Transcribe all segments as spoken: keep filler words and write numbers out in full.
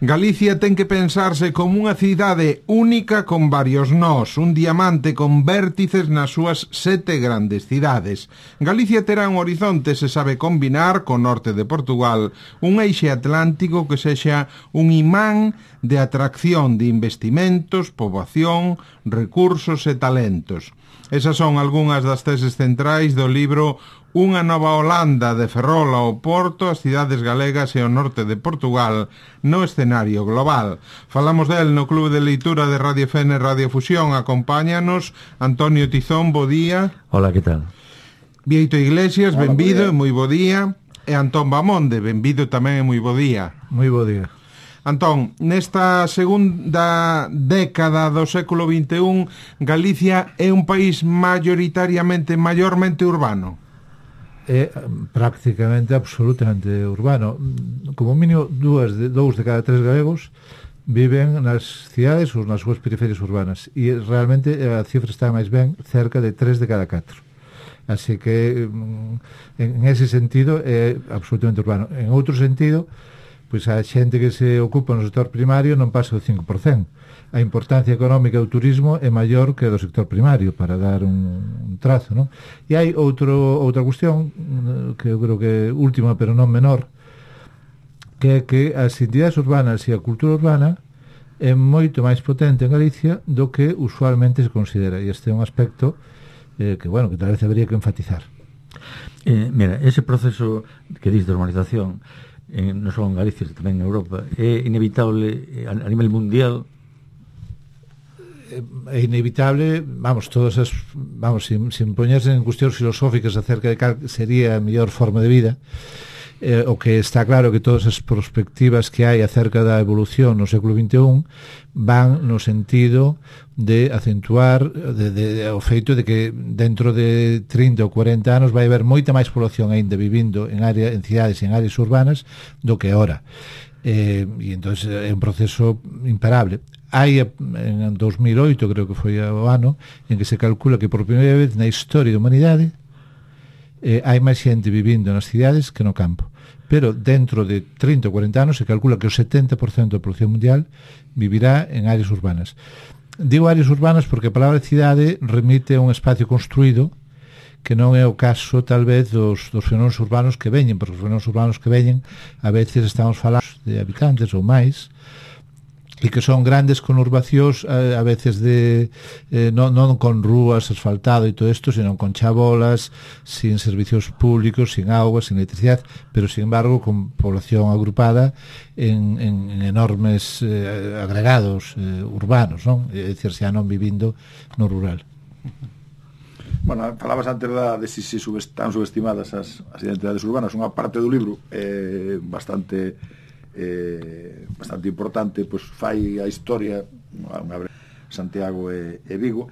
Galicia ten que pensarse como unha cidade única con varios nós, un diamante con vértices nas súas sete grandes cidades. Galicia terá un horizonte, se sabe combinar, co norte de Portugal, un eixe atlántico que sexa un imán de atracción de investimentos, poboación, recursos e talentos. Esas son algunhas das teses centrais do libro Unha nova Holanda, de Ferrol ao Porto, as cidades galegas e o norte de Portugal no escenario global. Falamos del no Clube de Leitura de Radio F N Radio Fusión. Acompáñanos Antonio Tizón, bo día. Hola, que tal? Vieito Iglesias, benvido, moi bo día. E Antón Bamonde, benvido tamén e moi bo día. Moi bo día. Antón, nesta segunda década do século vinte e un, Galicia é un país mayoritariamente, maiormente urbano. É prácticamente absolutamente urbano. Como mínimo dúas de, dous de cada tres galegos viven nas cidades ou nas súas periferias urbanas, e realmente a cifra está máis ben cerca de tres de cada catro. Así que en ese sentido é absolutamente urbano. En outro sentido, pois a xente que se ocupa no sector primario non pasa do cinco por cento. A importancia económica do turismo é maior que do sector primario, para dar un, un trazo, non? E hai outro, outra cuestión que eu creo que é última pero non menor, que é que as entidades urbanas e a cultura urbana é moito máis potente en Galicia do que usualmente se considera, e este é un aspecto eh, que, bueno, que tal vez habería que enfatizar. Eh, mira, ese proceso que dis de normalización eh, non só en Galicia, tamén en Europa, é inevitable a, a nivel mundial. É inevitable, vamos, todas as, vamos, sin, sin poñerse en cuestións filosóficas acerca de cal sería a mellor forma de vida, eh, o que está claro que todas as perspectivas que hai acerca da evolución no século vinte e un van no sentido de acentuar de, de, de, o feito de que dentro de trinta ou cuarenta anos vai haber moita máis población aínda vivindo en área, en cidades e en áreas urbanas do que ahora. Eh, e entón é un proceso imparable. Hai, en dos mil oito, creo que foi o ano, en que se calcula que por primeira vez na historia da humanidade eh, hai máis xente vivindo nas cidades que no campo. Pero dentro de trinta ou cuarenta anos se calcula que o setenta por cento da población mundial vivirá en áreas urbanas. Digo áreas urbanas porque a palabra cidade remite a un espacio construído, que non é o caso tal vez dos, dos fenómenos urbanos que veñen, porque os fenómenos urbanos que veñen a veces estamos falando de habitantes ou máis, e que son grandes conurbacións a, a veces de eh, non, non con rúas, asfaltado e todo isto, senón con chabolas, sin servicios públicos, sin agua, sin electricidade, pero sin embargo con población agrupada en, en, en enormes eh, agregados eh, urbanos, non? É dicir, xa non vivindo no rural. Bueno, falabas antes da, de si, si subest, tan subestimadas as, as identidades urbanas. Unha parte do libro é eh, bastante eh, bastante importante, pois fai a historia unha breve, Santiago e, e Vigo,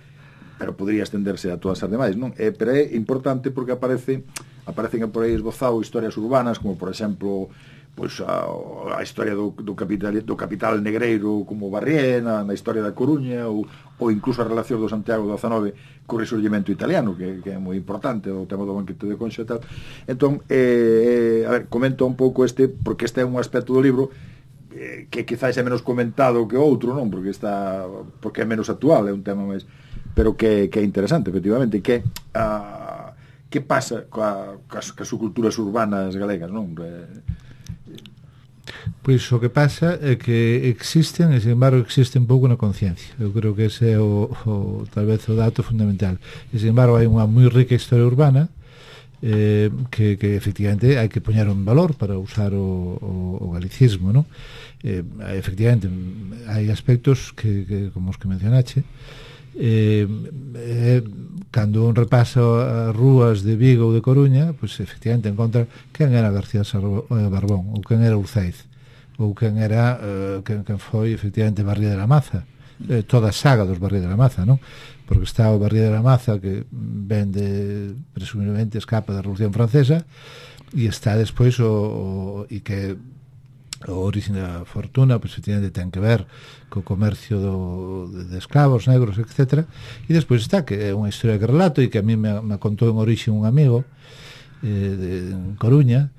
pero podría estenderse a todas as demais, non? Eh, pero é importante porque aparece aparecen por aí esbozado historias urbanas, como por exemplo pois a, a historia do, do capital do capital negreiro como Barriena, na historia da Coruña, ou, ou incluso a relación do Santiago do dezanove co resurgimento italiano, que, que é moi importante, o tema do banquete de Conxo e tal. Entón, eh, a ver, comento un pouco este, porque este é un aspecto do libro eh, que quizás é menos comentado que outro, non? Porque está porque é menos actual, é un tema máis, pero que, que é interesante, efectivamente, que a, que pasa coa, coas, coas culturas urbanas galegas, non? Eh, Pois o que pasa é que existen, e sin embargo existen pouco na conciencia. Eu creo que ese é o, o tal vez o dato fundamental. E sin embargo hai unha moi rica historia urbana eh, que, que efectivamente hai que poñer en valor para usar o, o, o galicismo, non? Eh, efectivamente hai aspectos que, que como os que mencionache, eh, eh, cando un repasa as rúas de Vigo ou de Coruña, pois efectivamente encontra quen era García Barbón, ou quen era Urceiz, ou quen era uh, quen, quen foi efectivamente Barría de la Maza, eh, toda a saga dos Barría de la Maza, non? Porque está o Barría de la Maza que vende, presumiblemente escapa da Revolución Francesa, e está despois o, o e que o origen da fortuna, pois efectivamente ten que ver co comercio do, de, de esclavos negros, etcétera. E despois está que é unha historia que relato e que a mí me, me contou en origen un amigo eh, de, en Coruña,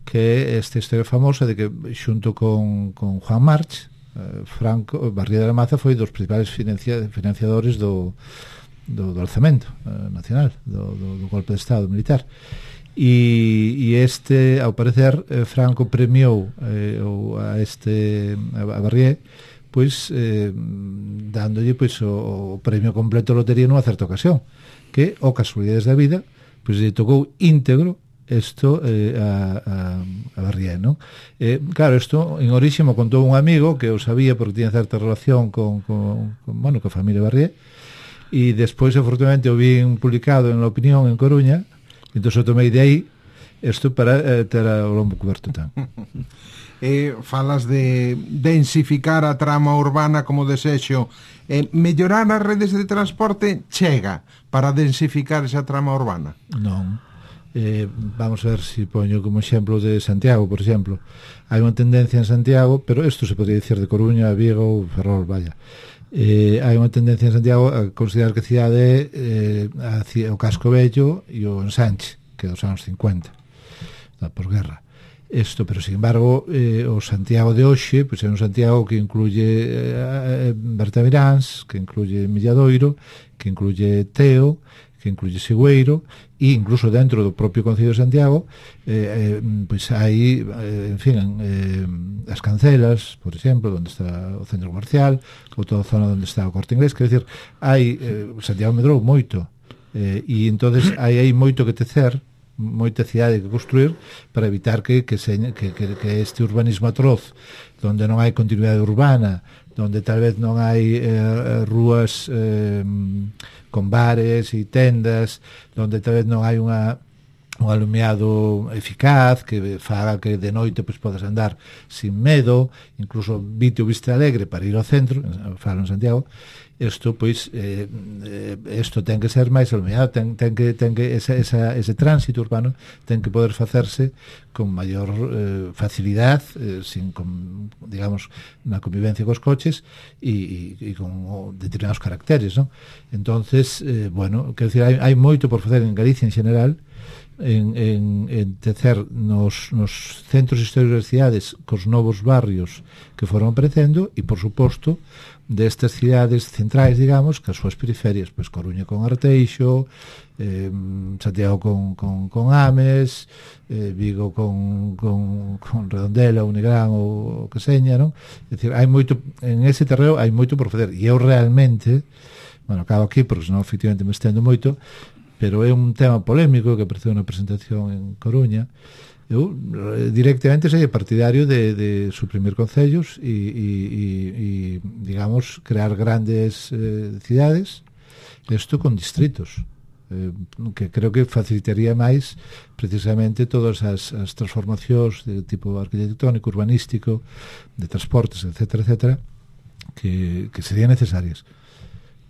que é esta historia famosa de que xunto con, con Juan March, eh, Franco, Barrié de la Maza foi dos principales financia, financiadores do, do, do alzamento eh, nacional, do, do, do golpe de Estado militar. E, e este, ao parecer, eh, Franco premiou eh, a este a Barrié pois eh, dándolle pois o, o premio completo de lotería nunha certa ocasión, que, o casualidades da vida, pois lle tocou íntegro isto eh, a, a, a Barrié, non? Eh, claro, isto en orixe me contou un amigo que eu sabía porque tiña certa relación con, con, con, bueno, con a familia Barrié, e despois, afortunadamente, o vi publicado en La Opinión en Coruña, e entón eu tomei de aí isto para eh, ter o lombo coberto tan. Eh, falas de densificar a trama urbana como desexo, eh, mellorar as redes de transporte chega para densificar esa trama urbana? Non. Eh, vamos a ver se si poño como exemplo de Santiago, por exemplo. Hai unha tendencia en Santiago, pero isto se podría dicir de Coruña, Vigo, Ferrol, vaya. Eh, hai unha tendencia en Santiago a considerar que a cidade é eh, o Casco Vello e o Ensanche, que é dos anos cincuenta, da posguerra. Isto, pero sin embargo, eh, o Santiago de hoxe, pois é un Santiago que incluye eh, Bertamiráns, que incluye Milladoiro, que incluye Teo, que incluye Sigüeiro, e incluso dentro do propio Concello de Santiago eh, eh, pois hai eh, en fin eh, as Cancelas, por exemplo, onde está o centro comercial, ou toda a zona onde está o Corte Inglés, quer dizer, hai eh, Santiago medrou moito eh, e entonces hai aí moito que tecer, moita cidade que construir para evitar que, que, se, que, que, que este urbanismo atroz, donde non hai continuidade urbana, donde tal vez non hai eh, rúas eh, con bares e tendas, donde tal vez non hai unha un alumeado eficaz que faga que de noite pois podes andar sin medo, incluso vite o viste alegre para ir ao centro, falo en Santiago. Isto pois eh, isto ten que ser máis alumeado, ten, ten que, ten que esa, esa, ese tránsito urbano ten que poder facerse con maior eh, facilidade, eh, sin con, digamos, na convivencia cos coches e, e, e con o, determinados caracteres, non? Entonces, eh, bueno, quero dicir, hai, hai moito por facer en Galicia en general, en, en, en tecer nos, nos centros históricos das cidades cos novos barrios que foron aparecendo e, por suposto, destas cidades centrais, digamos, que as súas periferias, pois Coruña con Arteixo, eh, Santiago con, con, con Ames, eh, Vigo con, con, con Redondela, Unigrán ou o que seña, non? É dicir, hai moito, en ese terreo hai moito por facer, e eu realmente, bueno, acabo aquí porque senón efectivamente me estendo moito, pero é un tema polémico que apareceu na presentación en Coruña. Eu directamente sei partidario de, de suprimir concellos e, e, e, e digamos, crear grandes eh, cidades, isto con distritos, eh, que creo que facilitaría máis precisamente todas as, as transformacións de tipo arquitectónico, urbanístico, de transportes, etcétera, etcétera, que, que serían necesarias.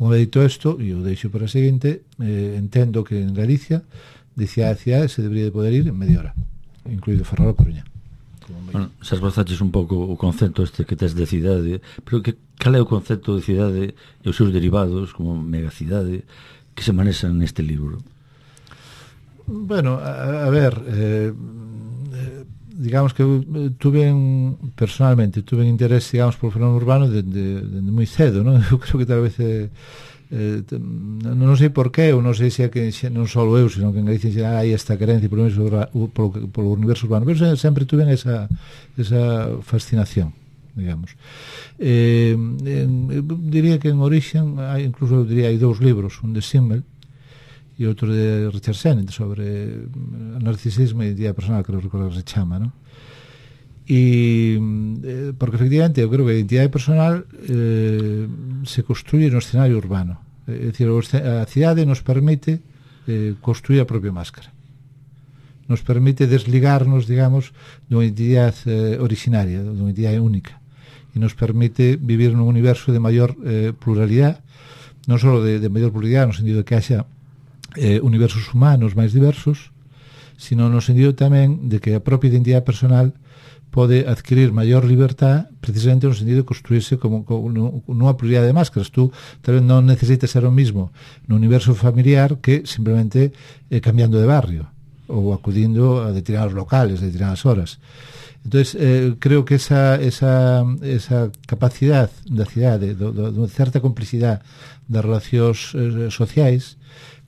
Unha dito isto, e o deixo para a seguinte, eh, entendo que en Galicia de cidade a cidade se debería de poder ir en media hora, incluído Ferrol a Coruña. Bueno, se esbozaches un pouco o concepto este que tes de cidade, pero que cal é o concepto de cidade e os seus derivados como megacidade que se manexan neste libro? Bueno, a, a ver, eh, digamos que eu tuve en, personalmente tuve en interés, digamos, por o fenómeno urbano dende de, de, de moi cedo, non? Eu creo que tal vez eh, eh, non sei por qué, ou non sei se é que non só eu, sino que en Galicia xa hai esta carencia por o, polo, polo universo urbano, pero sempre tuve esa, esa fascinación, digamos. Eh, en, eu diría que en origen hai, incluso eu diría, hai dous libros, un de Simmel e outro de Richard Sennett sobre narcisismo e identidade personal, que non recordo que se chama, non? E eh, porque efectivamente eu creo que a identidade personal eh, se construye no escenario urbano, é dicir, a cidade nos permite eh, construir a propia máscara, nos permite desligarnos, digamos, dunha identidade eh, originaria, dunha identidade única, e nos permite vivir nun universo de maior eh, pluralidade, non só de, de maior pluralidade no sentido de que haxa eh, universos humanos máis diversos, sino no sentido tamén de que a propia identidade personal pode adquirir maior libertad precisamente no sentido de construirse como, como nunha pluralidade de máscaras. Tú tal vez non necesitas ser o mismo no universo familiar que simplemente eh, cambiando de barrio. ou acudindo a determinados locales, a determinadas horas. Entonces, eh, creo que esa, esa, esa capacidade da cidade, de, de, de certa complicidade das relacións eh, sociais,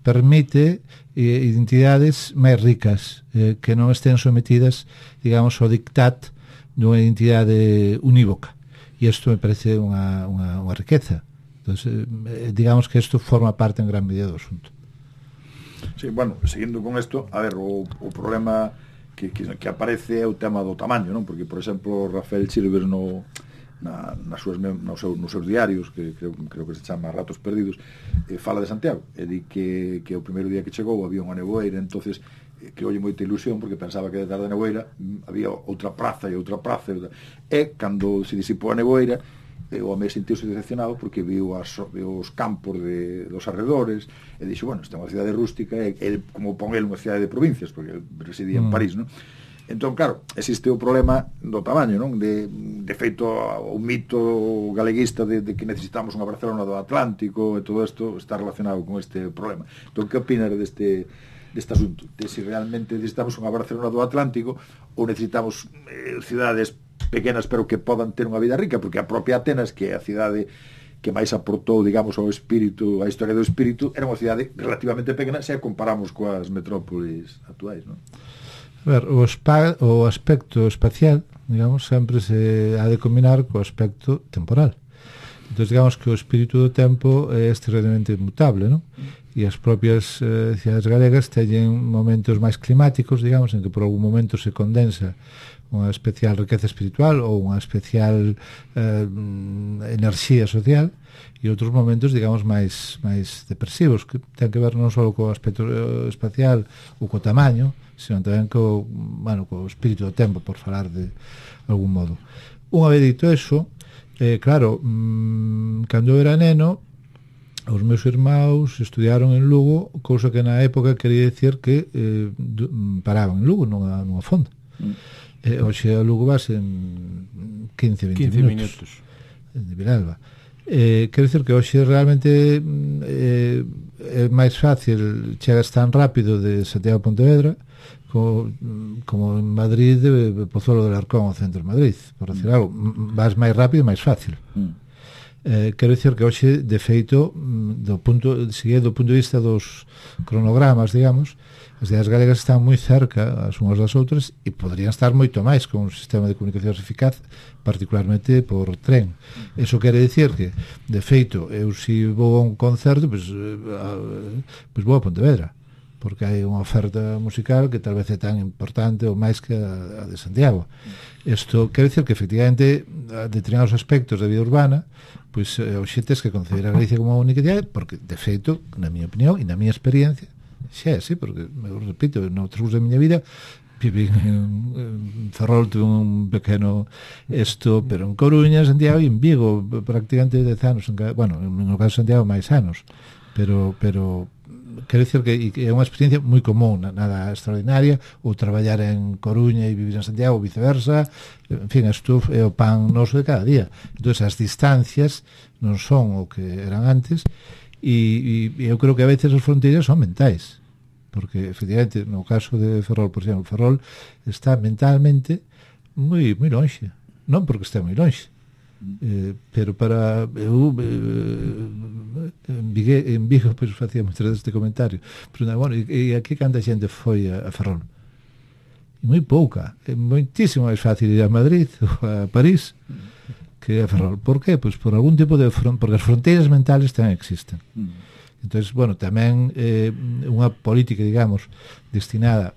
permite eh, identidades máis ricas, eh, que non estén sometidas, digamos, ao dictat dunha identidade unívoca. E isto me parece unha, unha, unha riqueza. Entonces, eh, digamos que isto forma parte en gran medida do asunto. Sí, bueno, seguindo con isto, a ver, o, o problema que, que, que aparece é o tema do tamaño, non? Porque, por exemplo, Rafael Chilvers no... Na, nas súas, nos, seus, nos seus diarios, que creo, creo que se chama Ratos Perdidos, eh, fala de Santiago e di que, que o primeiro día que chegou había unha nevoeira, entonces eh, que olle moita ilusión porque pensaba que detrás da nevoeira había outra praza e outra praza e, e cando se disipou a nevoeira eh, o home sentiuse decepcionado porque viu, as, viu os campos de, dos arredores e dixo, bueno, esta é unha cidade rústica e, e como pon el unha cidade de provincias porque el residía mm. en París, non? Entón, claro, existe o problema do tamaño, non? De, de feito, o mito galeguista de, de que necesitamos unha Barcelona do Atlántico e todo isto está relacionado con este problema. Entón, que opinas deste, deste asunto? De si realmente necesitamos unha Barcelona do Atlántico ou necesitamos eh, cidades pequenas pero que podan ter unha vida rica, porque a propia Atenas, que é a cidade que máis aportou, digamos, ao espírito, a historia do espírito, era unha cidade relativamente pequena se a comparamos coas metrópolis actuais, non? A ver, o, spa, o aspecto espacial, digamos, sempre se ha de combinar co aspecto temporal. Entón, digamos que o espírito do tempo é extremamente mutable, non? E as propias eh, cidades galegas teñen momentos máis climáticos, digamos, en que por algún momento se condensa unha especial riqueza espiritual ou unha especial eh, enerxía social, e outros momentos, digamos, máis máis depresivos, que ten que ver non só co aspecto espacial ou co tamaño, sino tamén co, bueno, co espírito do tempo, por falar de algún modo. Unha vez dito eso, eh, claro, mmm, cando eu era neno, os meus irmãos estudiaron en Lugo, cousa que na época quería decir que eh, paraban en Lugo, nunha, nunha fonda. Mm. Eh, hoxe a Lugo vas en quince, vinte minutos. De Vilalba. Eh, quero dicir que hoxe realmente eh, é máis fácil, chegas tan rápido de Santiago a Pontevedra como, como en Madrid de Pozuelo del Arcón ao centro de Madrid, por decir algo, vas máis rápido e máis fácil. Mm. Eh, quero dicir que hoxe, de feito, do punto, seguindo do punto de vista dos cronogramas, digamos, as cidades galegas están moi cerca as unhas das outras e poderían estar moito máis con un sistema de comunicacións eficaz, particularmente por tren. Eso quere dicir que, de feito, eu se vou a un concerto, pois, pois vou a Pontevedra, porque hai unha oferta musical que tal vez é tan importante ou máis que a, a de Santiago. Isto quere dicir que, efectivamente, a determinados aspectos da vida urbana, pois hoxe tes que considerar a Galicia como unha única cidade, porque, de feito, na miña opinión e na miña experiencia, xa é así, porque, eu repito, no transcurso da miña vida viví en, en Ferrol, tuve un pequeno esto, pero en Coruña, Santiago e en Vigo, prácticamente dez anos, en cada, bueno, no caso de Santiago máis anos, pero pero quero dicir que, que é unha experiencia moi común, nada extraordinaria, ou traballar en Coruña e vivir en Santiago ou viceversa, en fin, isto é o pan noso de cada día. Entón, as distancias non son o que eran antes, e, e eu creo que a veces as fronteiras son mentais, porque, efectivamente, no caso de Ferrol, por exemplo, Ferrol está mentalmente moi moi lonxe, non porque está moi lonxe, eh, pero para eu eh, en, Vigue, en Vigo pois facía moitas veces este comentario, pero bueno, e, e aquí canta xente foi a, a Ferrol? E moi pouca, é moitísimo máis fácil ir a Madrid ou a París que a Ferrol. Por qué? Pois por algún tipo de fron- porque as fronteiras mentales tamén existen. Mm. Entonces, bueno, tamén eh, unha política, digamos, destinada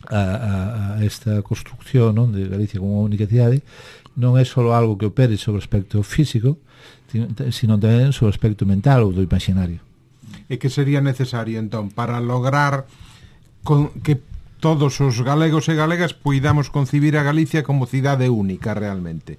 a, a, a esta construcción, non, de Galicia como unha única cidade, non é só algo que opere sobre o aspecto físico, sino tamén sobre o aspecto mental ou do imaginario. E que sería necesario, entón, para lograr con, que todos os galegos e galegas poidamos concibir a Galicia como cidade única realmente?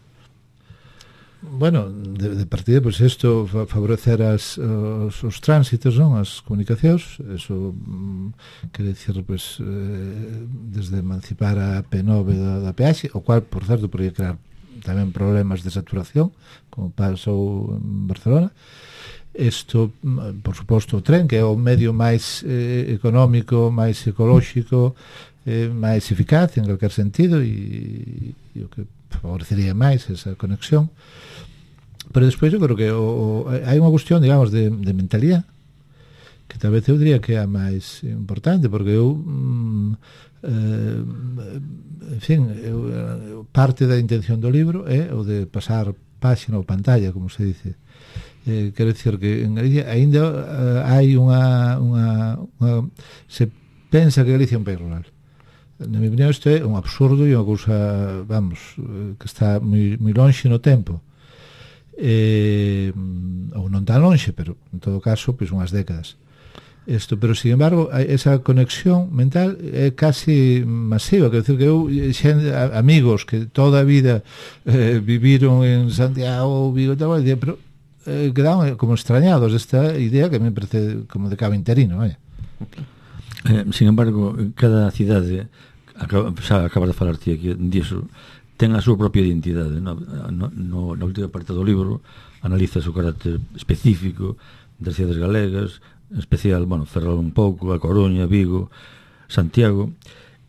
Bueno, de, de partida, pois pues, isto favorecer as, os, os tránsitos, non? As comunicacións, eso mm, quere dicir, pois, pues, eh, desde emancipar a P nove da, da peaxe, o cual, por certo, podría crear tamén problemas de saturación, como pasou en Barcelona, Isto, por suposto, o tren, que é o medio máis eh, económico, máis ecolóxico, eh, máis eficaz en calquer sentido, e, e o que favorecería máis esa conexión. Pero despois eu creo que o, o, hai unha cuestión, digamos, de, de mentalidade, que tal vez eu diría que é a máis importante, porque eu mm, eh, en fin, eu, parte da intención do libro é o de pasar páxina ou pantalla, como se dice. Eh, quero dicir que en Galicia ainda uh, hai unha, unha, unha se pensa que Galicia é un país rural. Na minha opinión isto é un absurdo e unha cousa, vamos, que está moi, moi lonxe no tempo, eh, ou non tan lonxe, pero en todo caso pois unhas décadas isto, pero sin embargo esa conexión mental é casi masiva. Quero dicir que eu xen, amigos que toda a vida eh, viviron en Santiago, Vigo, tal, pero Eh, quedaron como extrañados desta idea que me parece como de cabo interino, vaya. Eh, sin embargo, cada cidade, acaba, xa acabas de falar ti aquí disso, ten a súa propia identidade, no, no, no, na última parte do libro analiza o seu carácter específico das cidades galegas, en especial, bueno, Ferrol un pouco, A Coruña, Vigo, Santiago.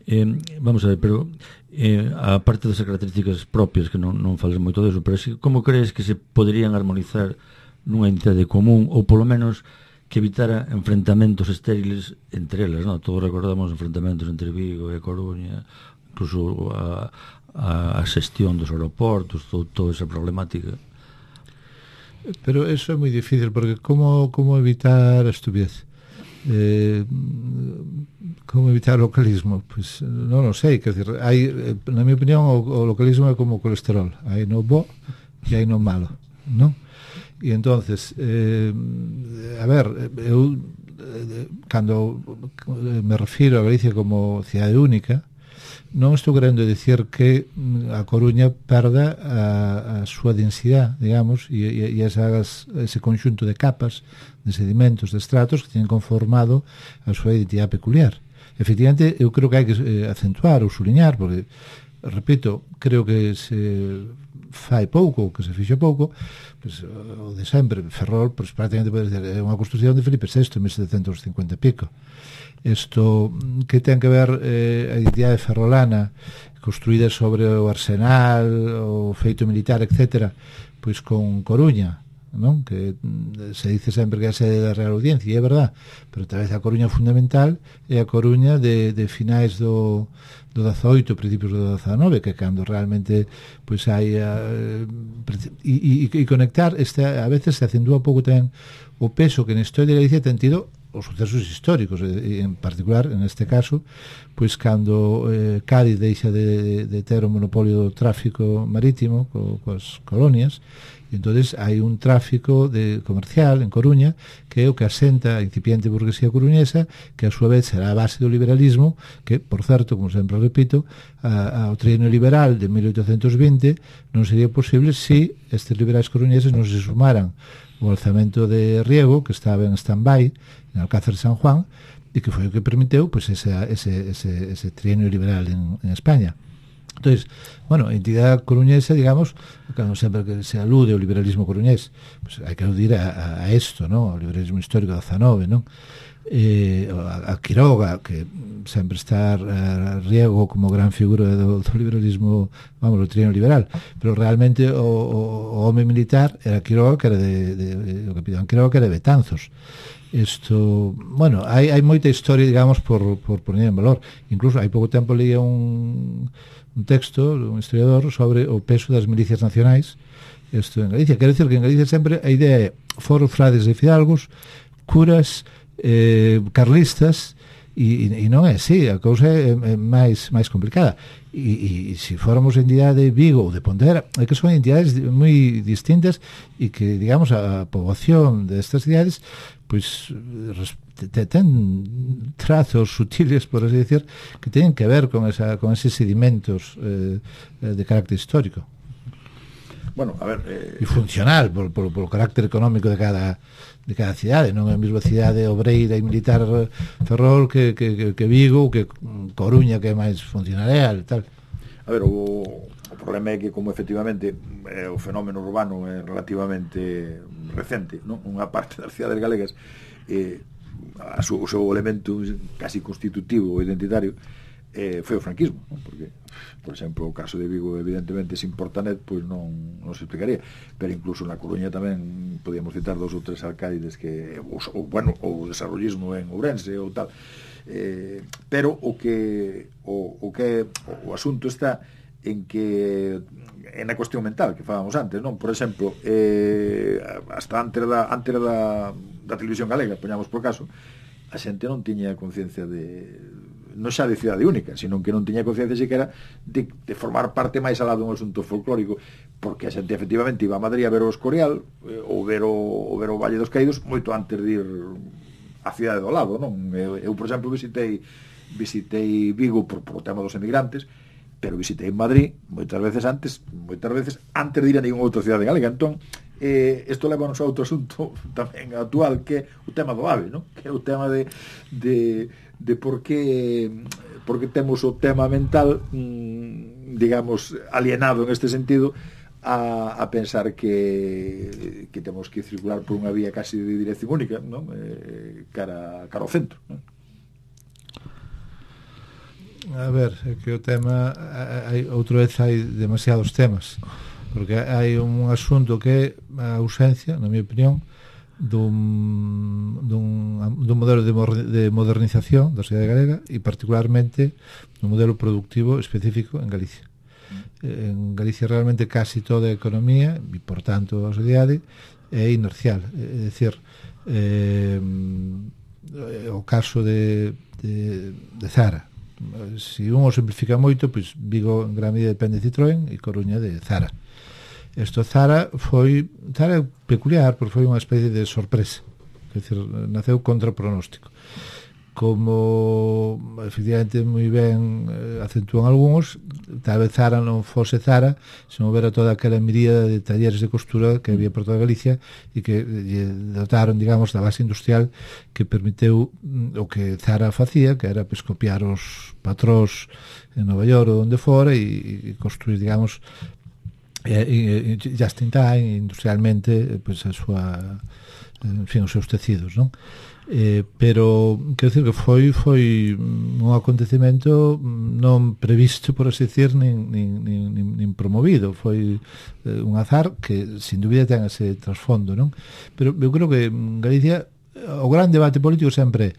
Eh, vamos a ver, pero eh, a parte das características propias, que non, non fales moito deso, pero si, como crees que se poderían armonizar nunha entidade común, ou polo menos que evitara enfrentamentos estériles entre elas, non? Todos recordamos enfrentamentos entre Vigo e A Coruña, incluso a, a, a xestión dos aeroportos, todo, toda esa problemática. Pero eso é moi difícil, porque como, como evitar a estupidez? Eh, como evitar o localismo? Pois pues, non o sei, quer dizer, hai, na minha opinión o, o localismo é como o colesterol, hai no bo e hai no malo, non? E entonces eh, a ver, eu cando me refiro a Galicia como cidade única, non estou querendo dicir que a Coruña perda a, a súa densidade, digamos, e, e, e esas, ese conxunto de capas, de sedimentos, de estratos que teñen conformado a súa identidade peculiar. Efectivamente, eu creo que hai que eh, acentuar ou suliñar, porque, repito, creo que se fai pouco, que se fixe pouco, pues, o de sempre, Ferrol, pues, prácticamente pode dizer, é unha construción de Felipe sexto en mil setecentos cincuenta e pico. Isto que ten que ver eh, a identidade ferrolana construída sobre o arsenal, o feito militar, etcétera, pois con Coruña, non? Que se dice sempre que é a sede da Real Audiencia, e é verdad, pero tal vez a Coruña fundamental é a Coruña de, de finais do, do dezaoito, principios do dezanove, que cando realmente pois hai a, e, e, e conectar este, a veces se acentúa un pouco tamén o peso que na historia de Galicia ten tido os sucesos históricos, e en particular, en este caso, pois cando eh, Cádiz deixa de, de ter o monopolio do tráfico marítimo co, coas colonias, e entonces hai un tráfico de comercial en Coruña que é o que asenta a incipiente burguesía coruñesa, que a súa vez será a base do liberalismo, que, por certo, como sempre repito, a, a, o trienio liberal de mil oitocentos vinte non sería posible se si estes liberais coruñeses non se sumaran o alzamento de Riego, que estaba en stand-by en Alcázar de San Juan, e que foi o que permiteu pues, ese, ese, ese, ese trienio liberal en, en España. Entonces, bueno, a entidade coruñesa, digamos, cando sempre que se alude ao liberalismo coruñés, pues, hai que aludir a, a, a esto, ¿no? Ao liberalismo histórico do dezanove, ¿no? Eh, a, a Quiroga, que sempre está a Riego como gran figura do, do liberalismo, vamos, do trienio liberal, pero realmente o, o, o home militar era Quiroga, que era de, de, de o capitán Quiroga, que era de Betanzos. Isto, bueno, hai, hai moita historia, digamos, por, por poner en valor. Incluso hai pouco tempo leía un, un texto un historiador sobre o peso das milicias nacionais isto en Galicia. Quero dicir que en Galicia sempre a idea é foros, frades e fidalgos, curas, eh, carlistas, e, e non é así, a cousa é, é máis, máis complicada. E, e, e se fóramos entidade de Vigo ou de Pontevedra, é que son entidades moi distintas e que, digamos, a poboación destas cidades pois ten trazos sutiles, por así decir, que teñen que ver con, esa, con eses sedimentos eh, de carácter histórico. Bueno, a ver... Eh... E funcional, por, por, por o carácter económico de cada de cada cidade, non é a mesma cidade obreira e militar Ferrol que, que, que Vigo, que Coruña, que é máis funcionarial e tal. A ver, o, o problema é que como efectivamente eh, o fenómeno urbano é relativamente recente, non? Unha parte das cidades galegas eh, a su, o seu elemento casi constitutivo ou identitario eh, foi o franquismo, non? Porque, por exemplo, o caso de Vigo evidentemente sin Portanet pois non, non se explicaría, pero incluso na Coruña tamén podíamos citar dos ou tres alcaides que, ou, ou bueno, o desarrollismo en Ourense ou tal, eh, pero o que o, o que o, o asunto está en que en a cuestión mental que falábamos antes, non? Por exemplo, eh, hasta antes da antes da, da televisión galega, poñamos por caso, a xente non tiña conciencia de non xa de cidade única, sino que non tiña conciencia siquiera de, de formar parte máis alá dun asunto folclórico, porque a xente efectivamente iba a Madrid a ver o Escorial eh, ou ver o, ou ver o Valle dos Caídos moito antes de ir a cidade do lado, non? Eu, eu por exemplo, visitei visitei Vigo por, por o tema dos emigrantes, pero visitei Madrid moitas veces antes, moitas veces antes de ir a ninguna outra cidade galega. Entón, eh, isto levanos a outro asunto tamén actual, que é o tema do AVE, non? Que é o tema de, de, de por que por que temos o tema mental mmm, digamos, alienado en este sentido a, a pensar que que temos que circular por unha vía casi de dirección única, non? Eh, cara, cara ao centro, non? A ver, é que o tema hai, outra vez hai demasiados temas, porque hai un asunto que é a ausencia, na minha opinión, dun, dun, dun modelo de, de modernización da sociedade galega e particularmente dun modelo productivo específico en Galicia. En Galicia realmente casi toda a economía e por tanto a sociedade é inercial, é dicir, eh, o caso de, de, de Zara. Se un o simplifica moito, pois Vigo en gran medida depende de Citroën e Coruña de Zara. Isto Zara foi Zara é peculiar porque foi unha especie de sorpresa, é dicir, naceu contra pronóstico. Como efectivamente moi ben eh, acentúan algúns, tal vez Zara non fose Zara se non houbera toda aquela miríada de talleres de costura que había por toda Galicia e que eh, dotaron, digamos, da base industrial que permiteu mm, o que Zara facía, que era pues, copiar os patróns en Nova York ou onde fora e, e construir, digamos, eh, e, just in time, industrialmente, pues, a súa, en fin, os seus tecidos, non? Eh, pero quero dicir que foi foi un acontecemento non previsto, por así decir, nin, nin, nin, nin promovido, foi eh, un azar que sin dúbida ten ese trasfondo, non? Pero eu creo que en Galicia o gran debate político sempre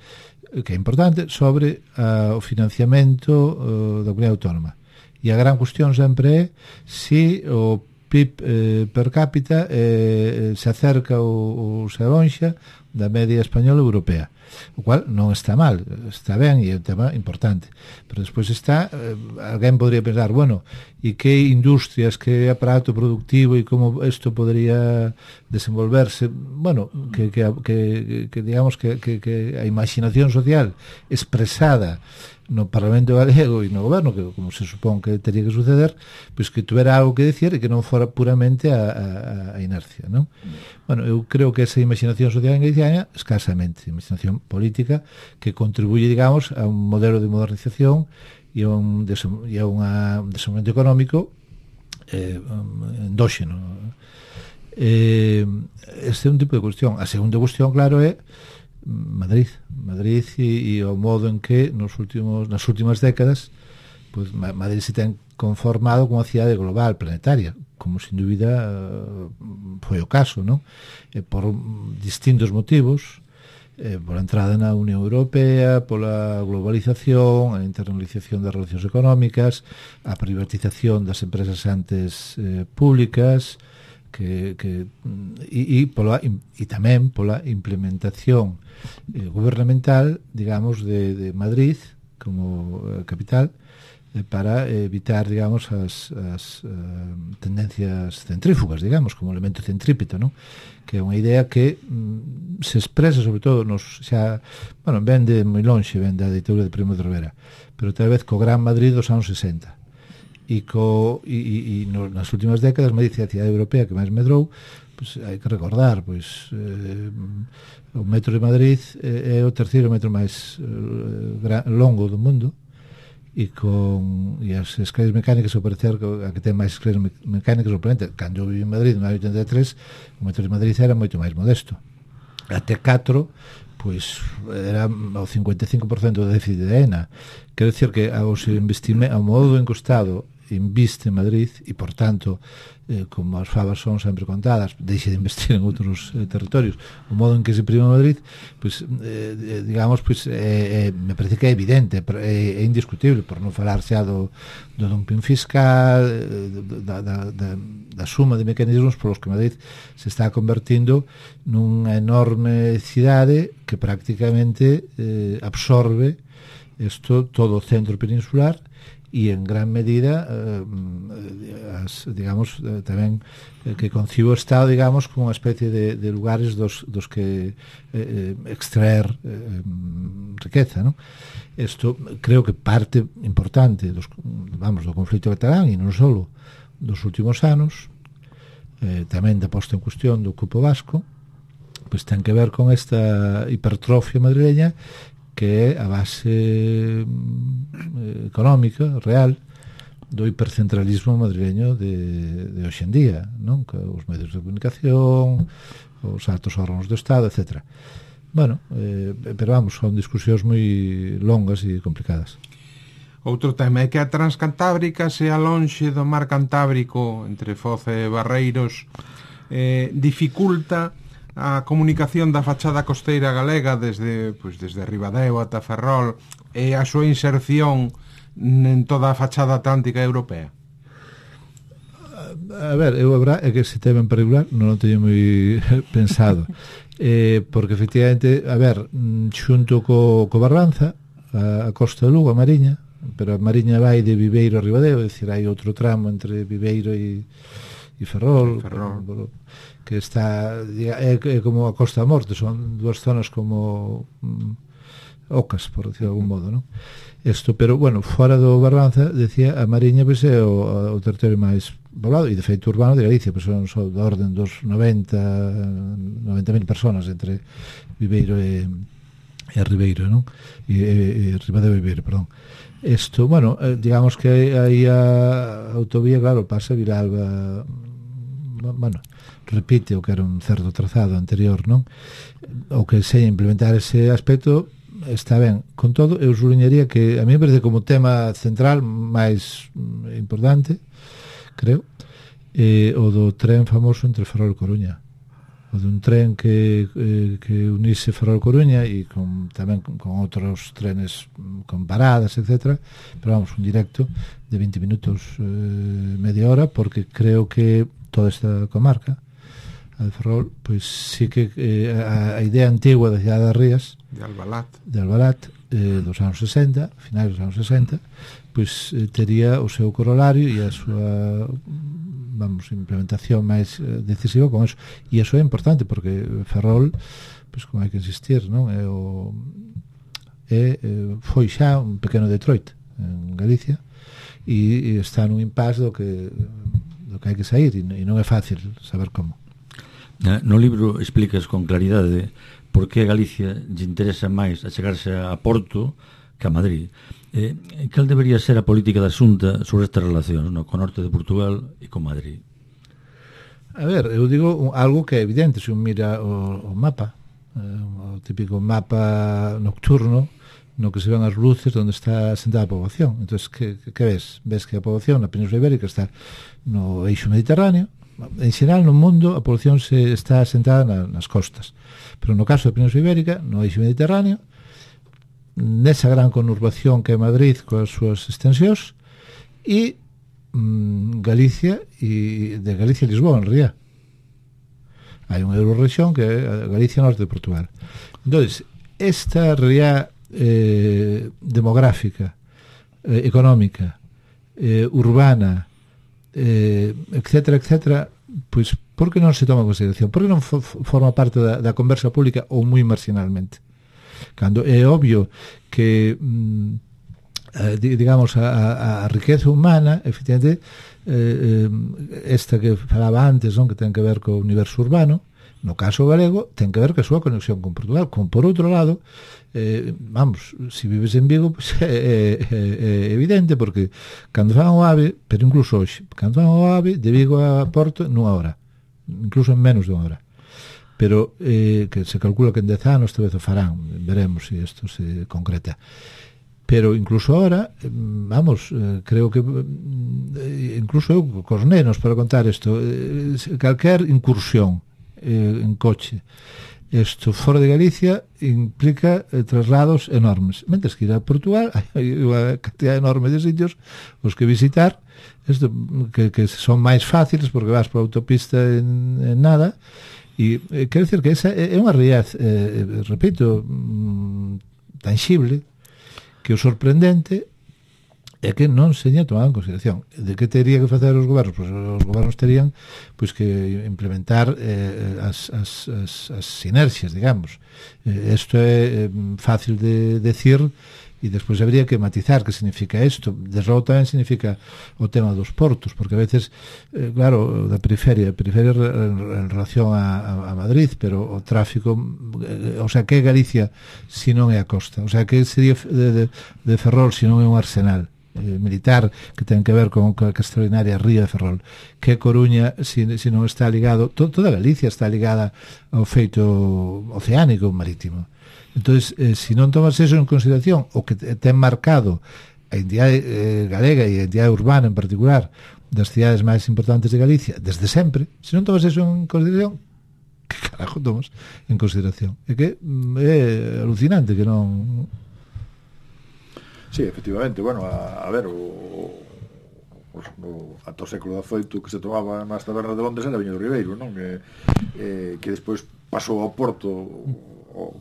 que é importante sobre uh, o financiamento uh, da comunidade autónoma, e a gran cuestión sempre é se o P I B eh, per cápita eh, se acerca ou, ou se alonxa da media española e europea, o cual non está mal, está ben e é un tema importante, pero despois está eh, alguén podría pensar, bueno, e que industrias, que aparato productivo e como isto podría desenvolverse, bueno, que, que, que, que digamos que, que, que a imaginación social expresada no Parlamento Galego e no Goberno, que como se supón que teria que suceder, pois que tuvera algo que decir e que non fora puramente a, a, a inercia, non? Bueno, eu creo que esa imaginación social en Galicia escasamente, imaginación política que contribuye, digamos, a un modelo de modernización e a un, e a unha, un desenvolvemento económico eh, endóxeno. Eh, este é un tipo de cuestión. A segunda cuestión, claro, é Madrid, Madrid e, e o modo en que nos últimos nas últimas décadas pues, Madrid se ten conformado como unha cidade global, planetaria, como sin dúbida foi o caso, non? E por distintos motivos, eh, pola entrada na Unión Europea, pola globalización, a internalización das relacións económicas, a privatización das empresas antes eh, públicas, que, que e, e, pola, e, e tamén pola implementación eh, gubernamental, digamos, de, de Madrid como eh, capital eh, para evitar, digamos, as, as uh, tendencias centrífugas, digamos, como elemento centrípeto, non? Que é unha idea que mm, se expresa sobre todo nos xa, bueno, ven de moi lonxe, ven da ditadura de Primo de Rivera, pero tal vez co Gran Madrid dos anos sesenta. E, co, e, e, e no, nas últimas décadas Madrid é a cidade europea que máis medrou, pues, hai que recordar, pois eh, o metro de Madrid é, é o terceiro metro máis eh, gran, longo do mundo, e con e as escalas mecánicas ao parecer a que ten máis escalas mecánicas probablemente cando eu vivi en Madrid no ano oitenta e tres o metro de Madrid era moito máis modesto até catro pois era o cincuenta e cinco por cento do déficit de A E N A quero dicir que aos investimentos ao modo en que o Estado inviste en Madrid e por tanto eh, como as favas son sempre contadas deixe de investir en outros eh, territorios o modo en que se prima en Madrid pois, eh, digamos pois, eh, eh, me parece que é evidente é, é indiscutible por non falar xa do, do dumping fiscal eh, da, da, da, da suma de mecanismos polos que Madrid se está convertindo nunha enorme cidade que prácticamente eh, absorbe isto todo o centro peninsular e en gran medida eh, as, digamos eh, tamén eh, que concibo o Estado digamos como unha especie de, de lugares dos, dos que eh, extraer eh, riqueza, ¿no? Isto creo que parte importante dos, vamos, do conflito catalán e non só dos últimos anos eh, tamén da posta en cuestión do cupo vasco pois ten que ver con esta hipertrofia madrileña que é a base eh, económica, real, do hipercentralismo madrileño de, de hoxendía, non? Que os medios de comunicación, os altos órganos do Estado, etcétera. Bueno, eh, pero vamos, son discusións moi longas e complicadas. Outro tema é que a Transcantábrica sea lonxe do mar Cantábrico entre Foz e Barreiros eh, dificulta a comunicación da fachada costeira galega desde, pois, desde Ribadeo ata Ferrol e a súa inserción en toda a fachada atlántica europea. A ver, eu a verdad é que ese tema en particular non o teño moi pensado eh, porque efectivamente a ver, xunto co, co Barbanza a, a costa de Lugo, a Mariña pero a Mariña vai de Viveiro a Ribadeo é dicir, hai outro tramo entre Viveiro e, e Ferrol, Ferrol. Por, por, que está é, é como a Costa da Morte son dúas zonas como mm, ocas, por decir de algún modo, non? Isto, pero, bueno, fora do Barbanza decía, a Mariña pois, é o, o territorio máis poblado e de feito urbano de Galicia, pois son só da orden dos noventa mil personas entre Viveiro e, e Ribeiro, non? E, e, e Ribadeo e Viveiro, perdón. Isto, bueno, eh, digamos que aí a autovía, claro, pasa a Vilalba, bueno, repite o que era un certo trazado anterior, non? O que se implementar ese aspecto está ben. Con todo, eu subliñaría que a mí me parece como tema central máis importante, creo, eh, o do tren famoso entre Ferrol e Coruña. O dun tren que, eh, que unise Ferrol e Coruña e con, tamén con, con outros trenes con paradas, etcétera. Pero vamos, un directo de vinte minutos, eh, media hora, porque creo que toda esta comarca a de Ferrol, pois sí que eh, a, a idea antigua da cidade das Rías de Albalat, de Albalat eh, dos anos sesenta, finais dos anos sesenta, pois eh, tería o seu corolario e a súa vamos, implementación máis eh, decisiva con eso. E iso é importante porque Ferrol, pois como hai que insistir, non? É o é, é foi xa un pequeno Detroit en Galicia e, e está nun impasse do que do que hai que sair e, e non é fácil saber como. No libro explicas con claridade por que a Galicia lle interesa máis achegarse a Porto que a Madrid. Eh, cal debería ser a política da Xunta sobre estas relacións, no, con o norte de Portugal e con Madrid? A ver, eu digo algo que é evidente se un mira o, o mapa, eh, o típico mapa nocturno no que se ven as luces onde está sentada a poboación. Entón, que, que ves? Ves que a poboación na Península Ibérica está no eixo mediterráneo. En xeral no mundo a poboación se está sentada na, nas costas, pero no caso da Península Ibérica no eixo mediterráneo, nesa gran conurbación que é Madrid coas súas extensións e mm, Galicia e de Galicia e Lisboa en realidad hai unha eurorrexión que é a Galicia norte de Portugal. Entón, esta realidad eh, demográfica, eh, económica, eh, urbana, eh, etcétera, etcétera, pois por que non se toma en consideración? Por que non for, forma parte da, da conversa pública ou moi marginalmente? Cando é obvio que mm, eh, digamos, a, a, a riqueza humana, efectivamente, eh, esta que falaba antes, non, que ten que ver co universo urbano, no caso galego, ten que ver que a súa conexión con Portugal. Como por outro lado, eh, vamos, se si vives en Vigo, pues, é, é, é evidente, porque cando fan o AVE, pero incluso hoxe, cando fan o AVE, de Vigo a Porto, nunha hora, incluso en menos de unha hora. Pero eh, que se calcula que en dez anos tal vez o farán, veremos se si isto se concreta. Pero incluso ahora, vamos, eh, creo que eh, incluso eu, cos nenos, para contar isto, eh, calquer incursión eh, en coche, isto fora de Galicia implica eh, traslados enormes. Mentres que ir a Portugal hai unha cantidad enorme de sitios os que visitar, isto, que, que son máis fáciles porque vas por autopista en, en nada. E eh, quero dicir que esa é unha realidade, eh, repito, mm, tangible, que o sorprendente é que non se teña tomado en consideración. De que teria que facer os gobernos? Pois os gobernos terían pois que implementar eh, as, as, as, as sinerxias, digamos. Isto eh, é eh, fácil de decir e despois habría que matizar que significa isto. Desde logo tamén significa o tema dos portos, porque a veces, eh, claro, da periferia, a periferia en, en relación a, a, a Madrid, pero o tráfico, eh, o sea, que é Galicia se non é a costa? O sea, que sería de, de, de Ferrol se non é un arsenal eh, militar que ten que ver con a extraordinaria ría de Ferrol, que Coruña se, se non está ligado, to, toda Galicia está ligada ao feito oceánico marítimo. Entonces, eh, se non tomas eso en consideración, o que ten marcado a entidade eh, galega e a entidade urbana en particular das cidades máis importantes de Galicia desde sempre, se non tomas eso en consideración, que carajo tomas en consideración? É que é alucinante que non... Sí, efectivamente, bueno, a, a ver, o, o, o ata o século dezoito que se tomaba nas tabernas de Londres era viño do Ribeiro, non? Que, eh, que despois pasou ao Porto o,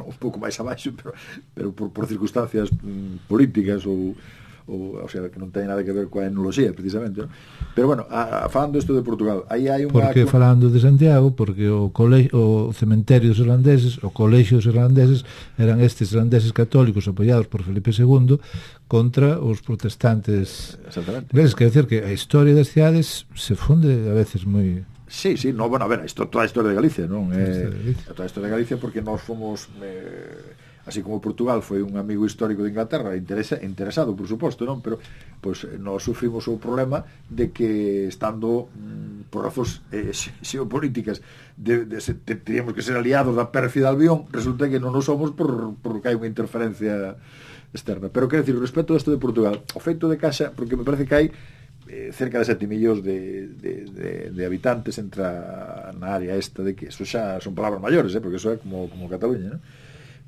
un pouco máis abaixo, pero, pero por, por circunstancias mm, políticas ou, ou, o sea, que non ten nada que ver coa etnoloxía, precisamente, ¿no? Pero bueno, a, a, falando isto de Portugal, aí hai unha... Porque falando de Santiago, porque o, cole... o cementerio dos irlandeses, o colexio dos irlandeses, eran estes irlandeses católicos apoiados por Felipe segundo contra os protestantes. Exactamente. Ves, quer decir que a historia das cidades se funde a veces moi... Sí, sí, no, bueno, a ver, isto toda a historia de Galicia, non? Eh, toda a historia de Galicia porque nós fomos eh, así como Portugal foi un amigo histórico de Inglaterra, interesa, interesado, por suposto, non? Pero pois pues, nós sufrimos o problema de que estando mm, por razóns eh, xeopolíticas de, de, de, de, teríamos que ser aliados da pérfida Albión, resulta que non nos somos por, por que hai unha interferencia externa. Pero quero dicir, respecto a isto de Portugal, o feito de Caixa, porque me parece que hai eh, cerca de sete millóns de, de, de, de habitantes entra na área esta de que eso xa son palabras maiores, eh, porque eso é como, como Cataluña, ¿no?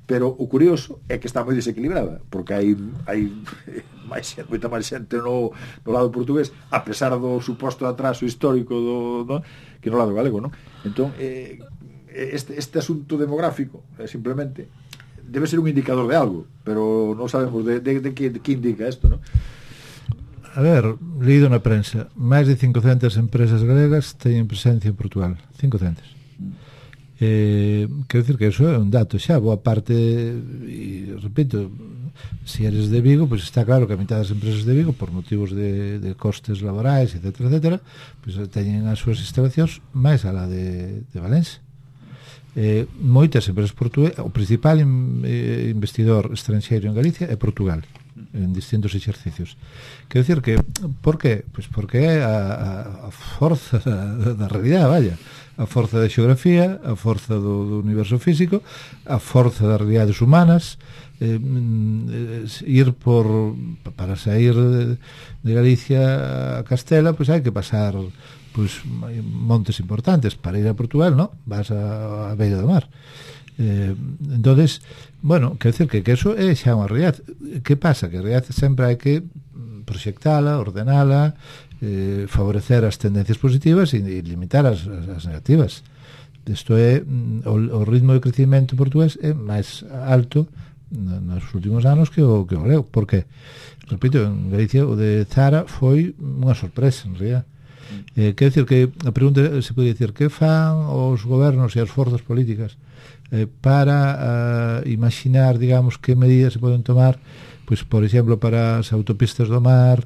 Pero o curioso é que está moi desequilibrada, porque hai, hai máis xente, moita máis xente no, no lado portugués, a pesar do suposto atraso histórico do, do, que no lado galego, ¿no? Entón, eh, este, este asunto demográfico, eh, simplemente debe ser un indicador de algo, pero non sabemos de, de, de, que, de que indica isto, ¿no? A ver, leído na prensa, máis de cincocentas empresas galegas teñen presencia en Portugal. cincocentas. Eh, quero dicir que eso é un dato xa, boa parte, e repito, se eres de Vigo, pois pues está claro que a mitad das empresas de Vigo, por motivos de, de costes laborais, etcétera, etcétera, pois pues teñen as súas instalacións máis a la de, de Valencia. Eh, moitas empresas portuguesas, o principal in, eh, investidor estranxeiro en Galicia é Portugal, en distintos exercicios. Quero dicir que, por que? Pois porque é a, a forza da, da realidade, vaya, a forza da xeografía, a forza do, do universo físico, a forza das realidades humanas. Eh, ir por para sair de, de Galicia a Castela, pois hai que pasar pois montes importantes. Para ir a Portugal, no, vas a, a beira do mar. Eh, entonces, bueno, quero decir que, que eso é xa unha realidade. Que pasa? Que a realidade sempre hai que proxectala, ordenala, eh, favorecer as tendencias positivas e, e limitar as, as negativas. Isto é, o, o ritmo de crecimento portugués é máis alto nos últimos anos que o, que o galego. Por que? Repito, en Galicia o de Zara foi unha sorpresa, en realidad. Eh, quero dicir que a pregunta se pode dicir que fan os gobernos e as forzas políticas eh, para uh, imaginar, digamos, que medidas se poden tomar pois, por exemplo, para as autopistas do mar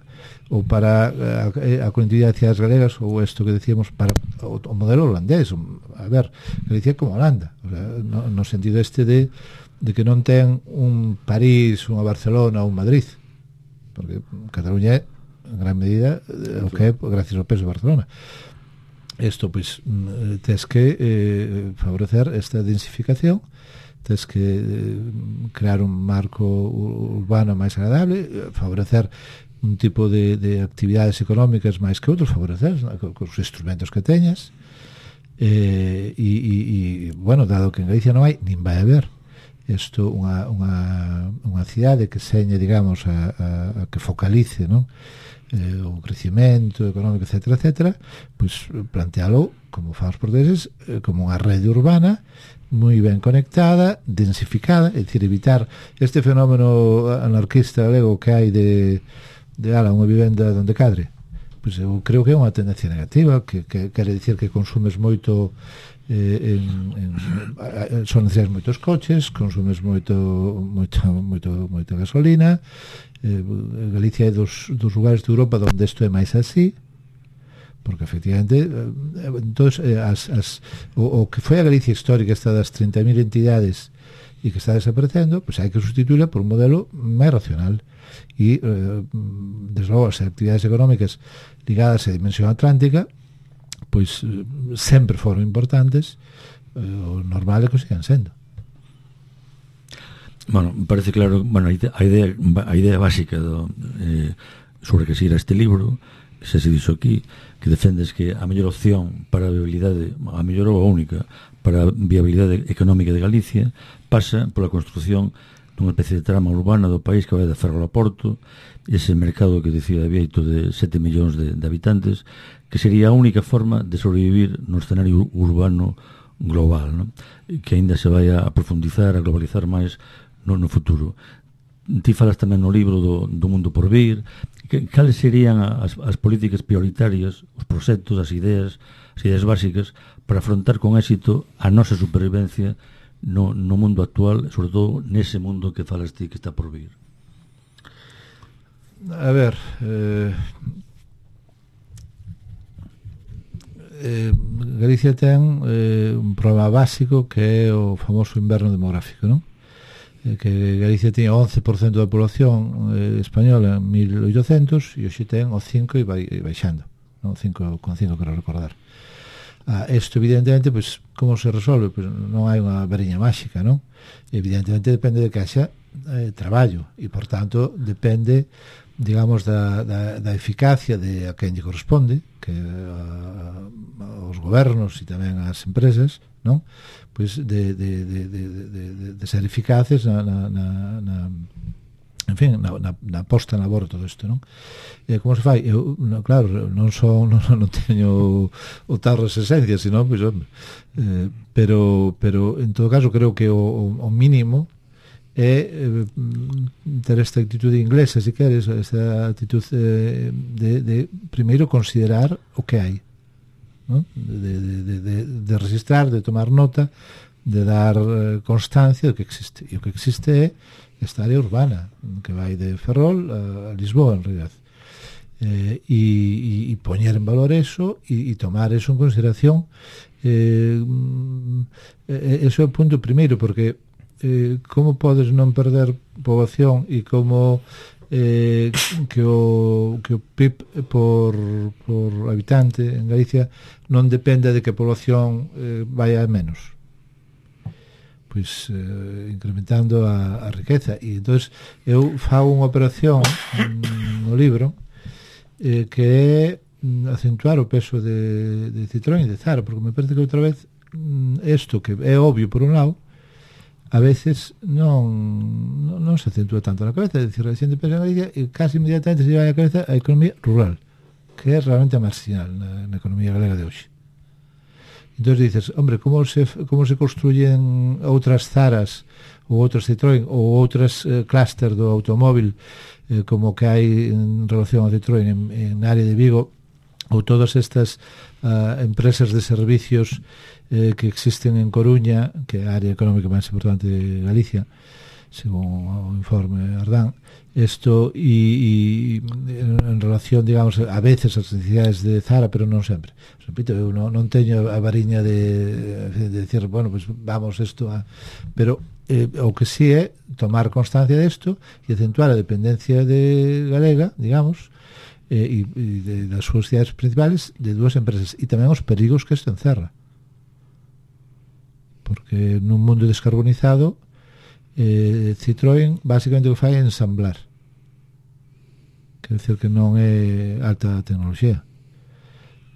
ou para a, a conectividade de cidades galegas, ou isto que decíamos para o, o modelo holandés. A ver, Galicia como Holanda, o sea, no, no sentido este de, de que non ten un París, unha Barcelona ou un Madrid, porque Cataluña é en gran medida o que é gracias ao peso de Barcelona. Isto, pois, tes que eh, favorecer esta densificación, tes que eh, crear un marco urbano máis agradable, favorecer un tipo de, de actividades económicas máis que outros, favorecer con os instrumentos que teñas, eh, e, e, e, bueno, dado que en Galicia non hai, nin vai haber isto unha, unha, unha cidade que señe, digamos, a, a, a que focalice, non? Eh, o crecimento económico, etcétera, etcétera, pois plantealo, como fan os portugueses, eh, como unha rede urbana moi ben conectada, densificada, é dicir, evitar este fenómeno anarquista galego que hai de, de ala, unha vivenda donde cadre. Pois eu creo que é unha tendencia negativa, que, que quere dicir que consumes moito eh, en, en, son necesarios moitos coches, consumes moito moito, moito, moito gasolina. eh, Galicia é dos, dos lugares de Europa onde isto é máis así, porque efectivamente eh, entonces, eh, as, as, o, o que foi a Galicia histórica, esta das treinta mil entidades e que está desaparecendo, pues hai que sustituirla por un modelo máis racional, e eh, desde logo as actividades económicas ligadas á dimensión atlántica pois eh, sempre foron importantes, eh, o normal é que sigan sendo. Bueno, parece claro, bueno, a idea, a idea básica do, eh, sobre que se irá este libro, se se dixo aquí, que defendes que a mellor opción para a viabilidade, a mellor ou a única para a viabilidade económica de Galicia pasa pola construción dunha especie de trama urbana do país que vai de Ferrol a Porto, ese mercado que decía Vieito de sete millóns de, de habitantes, que sería a única forma de sobrevivir no escenario urbano global, ¿no? Que aínda se vai a profundizar, a globalizar máis no, no futuro. Ti falas tamén no libro do, do mundo por vir. Que, cales serían as, as políticas prioritarias, os proxectos, as ideas, as ideas básicas para afrontar con éxito a nosa supervivencia no, no mundo actual, sobre todo nese mundo que falas ti que está por vir? A ver, eh, eh, Galicia ten eh, un problema básico que é o famoso inverno demográfico, non? Que Galicia tiña once por cento da población eh, española en mil oitocentos e hoxe ten o cinco e vai e baixando, non? cinco con cinco quero recordar. Ah, isto evidentemente, pois, como se resolve? Pois non hai unha variña máxica, non? Evidentemente depende de que haxa eh, traballo e, por tanto, depende, digamos, da, da, da eficacia de a quen lle corresponde, que a, aos gobernos e tamén ás empresas, non? Pois de, de, de, de, de, de ser eficaces na, na, na, na en fin, na, na, na posta na labor todo isto, non? E como se fai? Eu, no, claro, non son non, non teño o tarro esa esencia, sino, pois, eh, pero, pero en todo caso creo que o, o mínimo é eh, ter esta actitude inglesa, se queres, esta actitude eh, de, de primeiro considerar o que hai, ¿no? De, de, de, de, de registrar, de tomar nota, de dar eh, constancia do que existe. E o que existe é esta área urbana que vai de Ferrol a, a Lisboa, en realidad. Eh, e, e, e poñer en valor eso e, e tomar eso en consideración. Eh, eh, eso é o punto primeiro, porque eh, como podes non perder poboación e como eh, que o que o P I B por, por habitante en Galicia non depende de que a población eh, vaya a menos, pois eh, incrementando a, a riqueza. E entonces eu fago unha operación no libro eh, que é acentuar o peso de, de Citroën e de Zara, porque me parece que outra vez isto que é obvio por un lado a veces non, non, non se acentúa tanto na cabeza. É dicir, a xente pensa en Galicia e casi inmediatamente se vai a cabeza a economía rural, que é realmente marginal na, na economía galega de hoxe. Entón dices, hombre, como se, como se construyen outras Zaras ou outros Citroën ou outras eh, clúster do automóvil eh, como que hai en relación ao Citroën en, en área de Vigo, ou todas estas uh, empresas de servicios eh, que existen en Coruña, que é a área económica máis importante de Galicia, según o informe Ardán. Isto e, e en relación, digamos, a veces as necesidades de Zara, pero non sempre. Repito, eu non, non teño a variña de, de decir, bueno, pues vamos isto a... Pero eh, o que sí é tomar constancia desto e acentuar a dependencia de galega, digamos, eh, e, e de, das súas cidades principales de dúas empresas, e tamén os perigos que isto encerra. Porque nun mundo descarbonizado, eh, Citroën basicamente o que fai é ensamblar, quer dizer que non é alta tecnoloxía.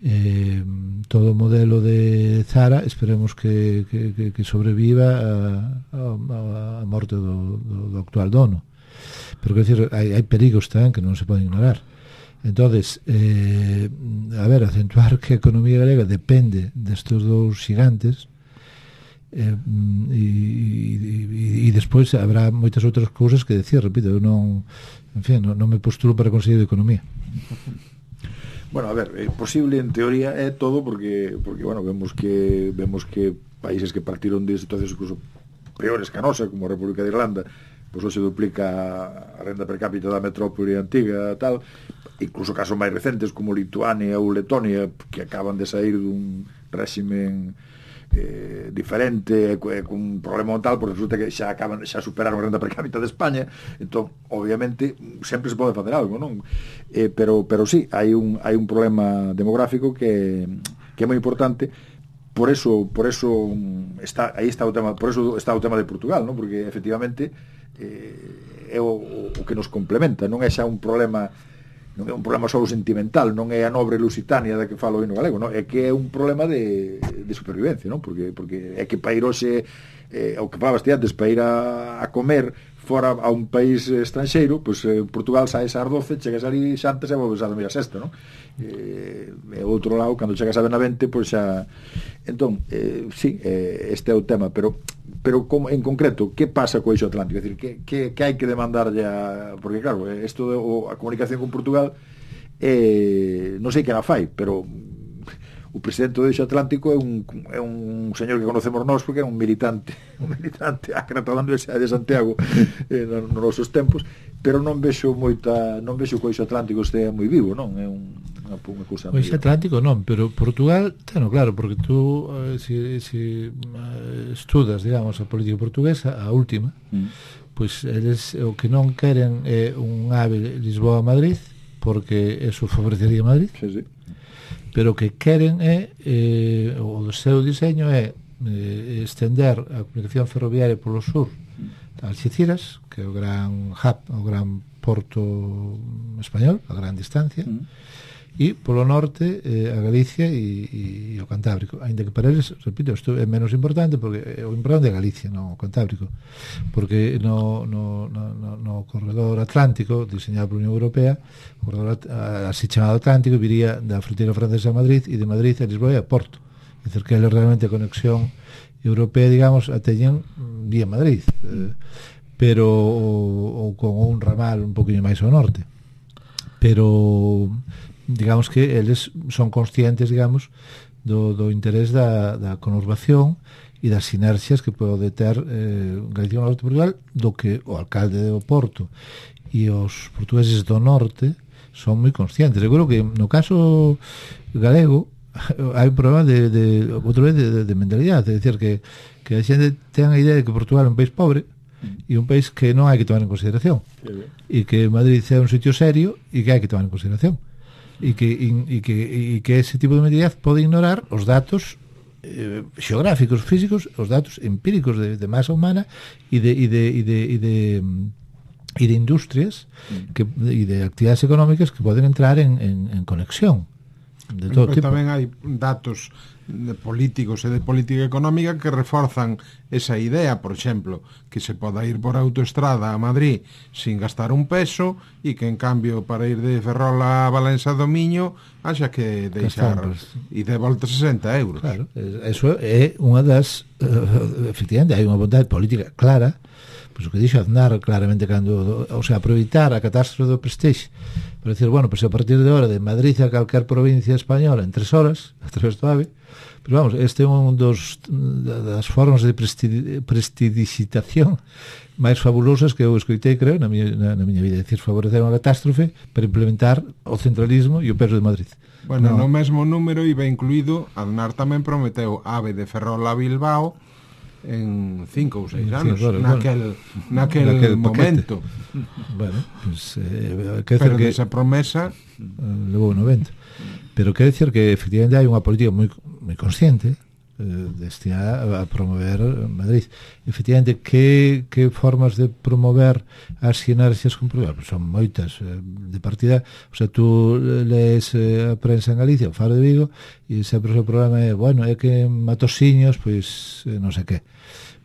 Eh, todo o modelo de Zara esperemos que, que, que, que sobreviva a, a, a morte do, do, do actual dono, pero quer dizer, hai, hai perigos tamén que non se poden ignorar. Entonces, eh, a ver, acentuar que a economía galega depende destes dous gigantes. Eh, e, e, e despois habrá moitas outras cousas que decir, repito, eu non, en fin, non, non me postulo para conseguir de economía. Bueno, a ver, é posible en teoría é todo porque porque bueno, vemos que vemos que países que partiron de situacións incluso peores que a nosa, como a República de Irlanda, pois hoxe duplica a renda per cápita da metrópole antiga, tal, incluso casos máis recentes como Lituania ou Letonia, que acaban de sair dun réximen eh, diferente, eh, con un problema tal, porque resulta que xa acaban, xa superaron a renda per cápita de España. Entón, obviamente, sempre se pode facer algo, non? Eh, pero, pero sí, hai un, hai un problema demográfico que, que é moi importante. Por eso, por eso está, aí está o tema, por eso está o tema de Portugal, non? Porque efectivamente eh, é o, o que nos complementa, non é xa un problema, non é un problema só sentimental, non é a nobre Lusitania da que falo o hino galego, non? É que é un problema de, de supervivencia, non? Porque, porque é que para ir hoxe, eh, o que falabas ti antes, para ir a, a comer fora a un país estranxeiro, pois pues, eh, Portugal saes ás doce, chegas ali xantes e volves a dormir a sexta, non? Eh, e outro lado, cando chegas a Benavente, pois pues, xa... Entón, eh, sí, eh, este é o tema, pero pero como, en concreto, que pasa co eixo atlántico? É dicir, que, que, que hai que demandar ya... Porque, claro, isto de, o, a comunicación con Portugal, eh, non sei que la fai, pero o presidente do eixo atlántico é un, é un señor que conocemos nós porque é un militante un militante ácrata da Universidade de Santiago eh, nos no nosos tempos, pero non vexo moita, non vexo que o eixo atlántico este moi vivo, non? É un, unha, unha cousa o eixo atlántico non, pero Portugal teno claro, porque tú eh, si, si uh, estudas, digamos, a política portuguesa, a última, mm. pois eles o que non queren é un ave Lisboa-Madrid, porque eso favorecería Madrid. Sí, sí. Pero o que queren é eh, o seu diseño é eh, estender a comunicación ferroviaria polo sur a Alxeciras, que é o gran hub, o gran porto español, a gran distancia, mm. e polo norte eh, a Galicia e, e o Cantábrico, ainda que para eles, repito, isto é menos importante porque o importante é Galicia, non o Cantábrico, porque no, no, no, no, no corredor atlántico diseñado pola Unión Europea, o corredor así chamado Atlántico, viría da fronteira francesa a Madrid e de Madrid a Lisboa e a Porto, é dicir, que é realmente a conexión europea, digamos, a teñen vía Madrid, eh, pero ou, ou con un ramal un poquinho máis ao norte, pero digamos que eles son conscientes, digamos, do, do interés da, da conurbación e das sinerxias que pode ter eh, Galicia do Norte de Portugal, do que o alcalde do Porto e os portugueses do norte son moi conscientes. Eu creo que no caso galego hai un problema de, de, outra vez de, de, de mentalidade, é dicir, que, que a xente ten a idea de que Portugal é un país pobre e un país que non hai que tomar en consideración, e que Madrid é un sitio serio e que hai que tomar en consideración, e que, e que, e que ese tipo de mentalidade pode ignorar os datos eh, xeográficos, físicos, os datos empíricos de, de masa humana e de, e de, e de, e de, e de industrias que, e de actividades económicas que poden entrar en, en, en conexión de todo tipo. Tipo. Tamén hai datos de políticos e de política económica que reforzan esa idea, por exemplo, que se poda ir por autoestrada a Madrid sin gastar un peso e que en cambio para ir de Ferrol a Valença do Miño haxa que deixar e de volta sesenta euros. Claro, eso é unha das uh, efectivamente hai unha vontade política clara, pois o que dixo Aznar claramente cando, o sea, aproveitar a catástrofe do Prestige para decir, bueno, pois a partir de hora de Madrid a calquer provincia española en tres horas a través do AVE. Pero vamos, este é un dos das formas de prestidigitación máis fabulosas que eu escoitei, creo, na miña, na, na miña vida. É dicir, favorecer unha catástrofe para implementar o centralismo e o peso de Madrid. Bueno, no, no mesmo número iba incluído, Aznar tamén prometeu AVE de Ferrol a Bilbao en cinco ou seis anos, sí, claro, naquel, bueno, naquel, naquel momento. Bueno, pues, eh, pero que esa promesa uh, levou noventa. Pero quero dicir que efectivamente hai unha política moi, moi consciente eh, destinada a promover Madrid. Efectivamente, que, que formas de promover as sinerxias con Portugal? Pues son moitas. Eh, de partida, o sea, tú lees eh, a prensa en Galicia, o Faro de Vigo, e sempre o seu problema é, bueno, é que en Matosiños, pois, eh, non sei que.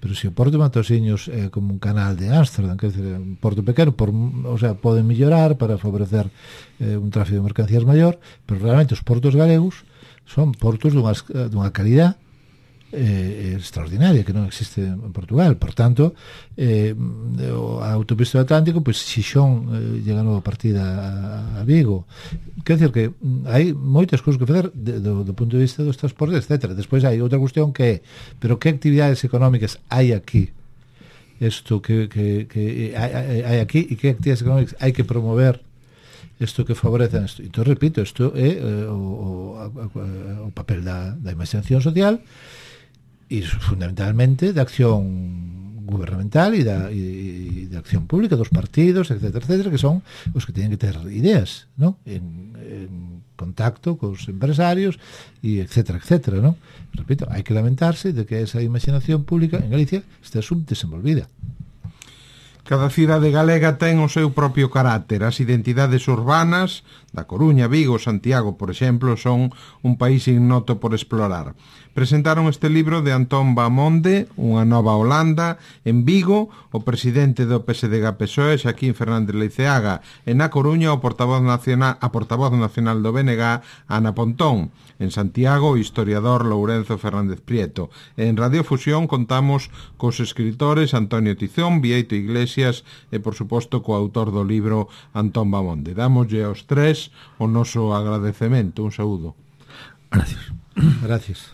Pero se o Porto de Matosiños é como un canal de Ámsterdam, que é un porto pequeno, por, o sea, poden mellorar para favorecer eh, un tráfico de mercancías maior, pero realmente os portos galegos son portos dunha, dunha calidad eh, extraordinaria que non existe en Portugal. Por tanto, eh, a autopista do Atlántico, pois pues, Xixón eh, llega a nova partida a, a Vigo. Quer dizer que hai moitas cousas que fazer de, do, do punto de vista dos transportes, etcétera. Despois hai outra cuestión que é, pero que actividades económicas hai aquí? Isto que, que, que hai, hai aquí e que actividades económicas hai que promover isto que favorecen isto. Entón, repito, isto é eh, o, o, o papel da, da imaginación social e fundamentalmente de acción gubernamental e da, e, e de acción pública dos partidos, etcétera, etcétera, que son os que teñen que ter ideas, ¿no? En, en contacto cos empresarios e etcétera, etcétera, ¿no? Repito, hai que lamentarse de que esa imaginación pública en Galicia está subdesenvolvida. Cada cidade galega ten o seu propio carácter. As identidades urbanas da Coruña, Vigo, Santiago, por exemplo, son un país ignoto por explorar. Presentaron este libro de Antón Bamonde, Unha nova Holanda, en Vigo, o presidente do P S D G P S O E, Xaquín Fernández Leiceaga, e na Coruña, o portavoz nacional, a portavoz nacional do B N G, Ana Pontón. En Santiago, o historiador Lourenzo Fernández Prieto. En Radiofusión contamos cos escritores Antonio Tizón, Vieito Iglesias e, por suposto, co autor do libro Antón Bamonde. Dámoslle aos tres o noso agradecemento. Un saúdo. Gracias. Gracias.